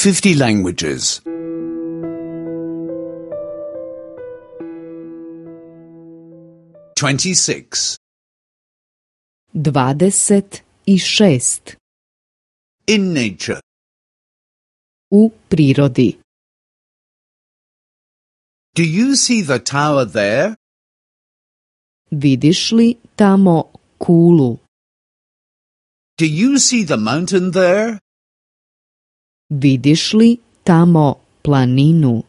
50 languages. 26. 26. In nature. U prirodi. Do you see the tower there? Vidiš li tamo kulu? Do you see the mountain there? Vidiš li tamo planinu?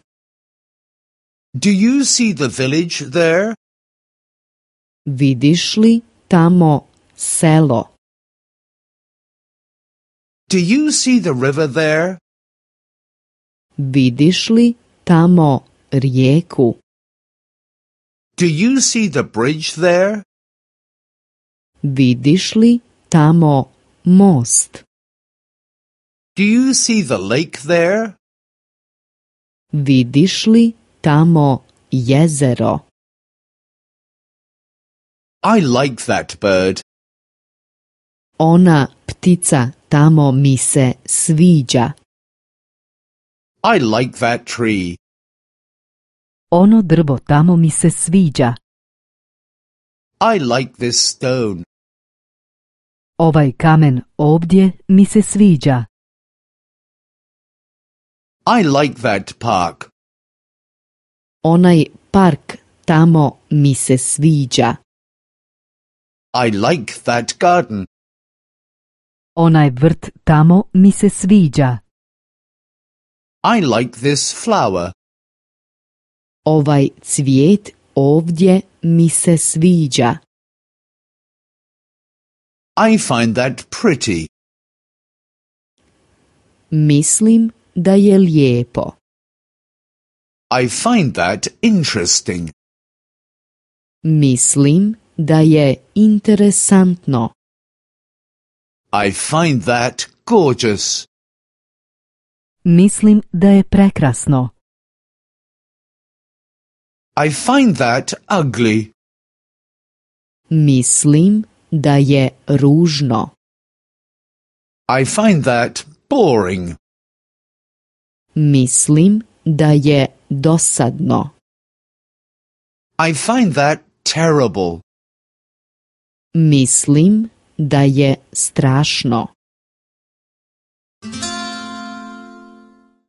Do you see the village there? Vidiš li tamo selo? Do you see the river there? Vidiš li tamo rijeku? Do you see the bridge there? Vidiš li tamo most? Do you see the lake there? Vidiš li tamo jezero? I like that bird. Ona ptica tamo mi se sviđa. I like that tree. Ono drvo tamo mi se sviđa. I like this stone. Ovaj kamen ovdje mi se sviđa. I like that park. Onaj park tamo mi se sviđa. I like that garden. Onaj vrt tamo mi se sviđa. I like this flower. Ovaj cvijet ovdje mi se sviđa. I find that pretty. Mislim da je lijepo. I find that interesting. Mislim da je interesantno. I find that gorgeous. Mislim da je prekrasno. I find that ugly. Mislim da je ružno. I find that boring. Mislim da je dosadno. I find that terrible. Mislim da je strašno.